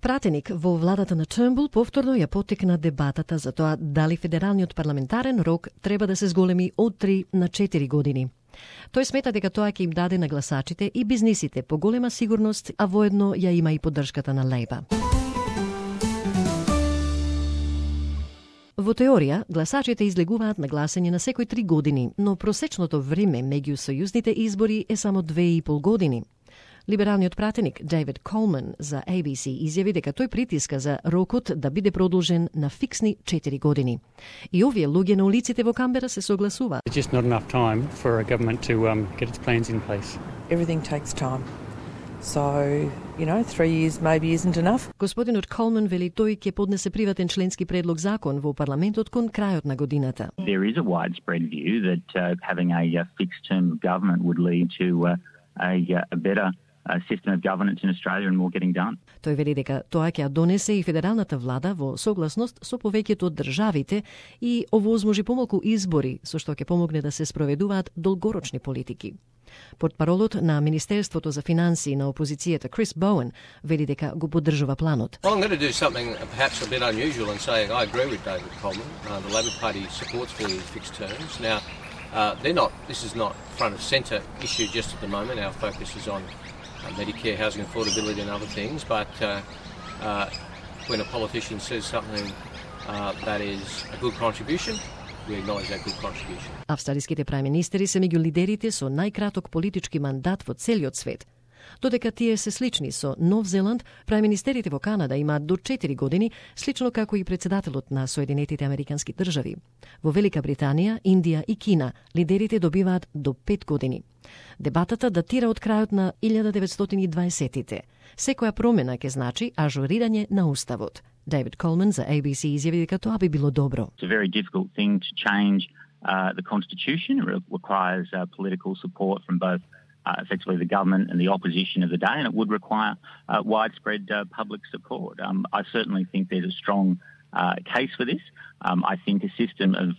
Пратеник во владата на Turnbull повторно ја потекна дебатата за тоа дали федералниот парламентарен рок треба да се зголеми од 3 на 4 години. Тој смета дека тоа ќе им даде на гласачите и бизнисите поголема сигурност, а воедно ја има и поддршката на Лейба. Во теорија, гласачите излегуваат на гласање на секој 3 години, но просечното време меѓу сојузните избори е само 2,5 години. Либералниот пратеник Дейвид Колман за ABC изјави дека тој притиска за рокот да биде продолжен на фиксни 4 години. И овие луѓе на улиците во Камбера се согласуваат. It's just not enough time for a government to get its plans in place. Everything takes time. So, 3 years maybe isn't enough. Господинот Колман вели тој ќе поднесе приватен членски предлог закон во парламентот кон крајот на годината. There is a widespread view that having a fixed term of government would lead to a better system of governance in Australia and more getting done. Тој вели дека тоа ќе ја донесе и федералната влада во согласност со повеќето од државите и овозможи помалку избори, со што ќе помогне да се спроведуваат долгорочни политики. Портпаролот на Министерството за финансии на опозицијата Крис Боуен вели дека го поддржува планот. Well, I'm going to do something perhaps a bit unusual and say I agree with David Coleman. The Labor Party supports fairly fixed terms. Now, this is not front of centre issue just at the moment. Our focus is on Medicare, housing affordability and other things, but when a politician says something that is a good contribution, we acknowledge that good contribution. Австралиските прајм-министери се меѓу лидерите со најкраток политички мандат во целиот свет. Додека тие се слични со Нов Зеланд, прајм-министерите во Канада имаат до 4 години, слично како и председателот на Соединетите Американски држави. Во Велика Британија, Индија и Кина лидерите добиваат до 5 години. Дебатата датира од крајот на 1920-тите. Секоја промена ќе значи ажурирање на уставот. Дейвид Колман за ABC изјави дека тоа би било добро. It's a very difficult thing to change the constitution. It requires political support from both effectively the government and the opposition of the day, and it would require widespread public support. I certainly think there's a strong case for this. I think a system of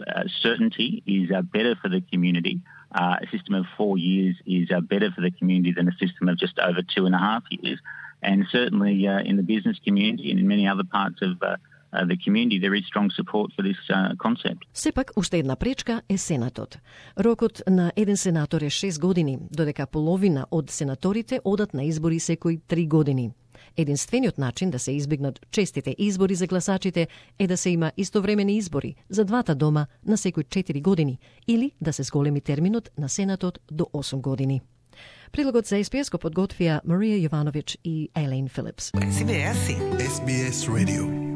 certainty is better for the community. A system of 4 years is better for the community than a system of just over 2.5 years. And certainly in the business community and in many other parts of the community, there is strong support for this concept. Сепак, уште една пречка е Сенатот. Рокот на еден сенатор е 6 години, додека половина од сенаторите одат на избори секој 3 години. Единствениот начин да се избегнат честите избори за гласачите е да се има истовремени избори за двата дома на секој 4 години или да се зголеми терминот на Сенатот до 8 години. Прилогот за SBS го подготвија Марија Јовановиќ и Елейн Филипс. SBS Radio.